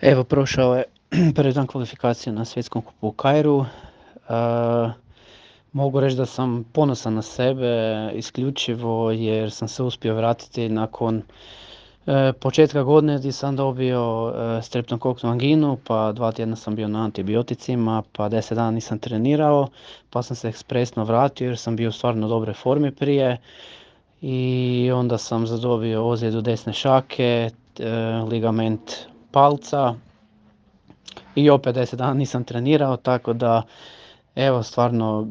Evo, prošao je prvi dan kvalifikacije na svjetskom kupu u Kairu. Mogu reći da sam ponosan na sebe isključivo jer sam se uspio vratiti nakon početka godine gdje sam dobio streptokoknu anginu, pa 2 tjedna sam bio na antibioticima, pa 10 dana nisam trenirao, pa sam se ekspresno vratio jer sam bio u stvarno dobroj formi prije. I onda sam zadobio ozljedu desne šake, ligament palca i opet 10 dana nisam trenirao, tako da evo stvarno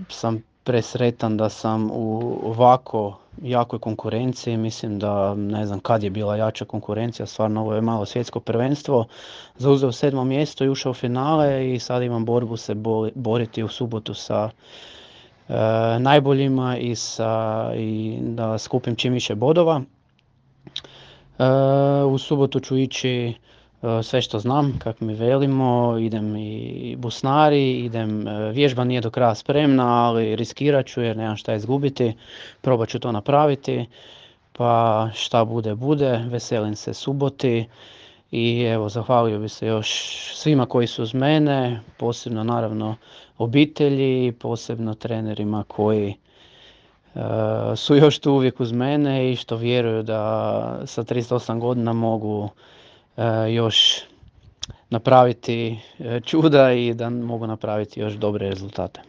sam presretan da sam u ovako jakoj konkurenciji. Mislim da ne znam kad je bila jača konkurencija, stvarno ovo je malo svjetsko prvenstvo. Zauzeo 7. mjesto i ušao u finale i sad imam borbu se boriti u subotu sa najboljima i da skupim čim više bodova. U subotu ću ići sve što znam, kako mi velimo, idem i busnari, idem, vježba nije do kraja spremna, ali riskirat ću jer nemam šta izgubiti, probat ću to napraviti, pa šta bude bude, veselim se suboti i evo zahvalio bi se još svima koji su uz mene, posebno naravno obitelji, posebno trenerima koji su još tu uvijek uz mene i što vjeruju da sa 38 godina mogu još napraviti čuda i da mogu napraviti još dobre rezultate.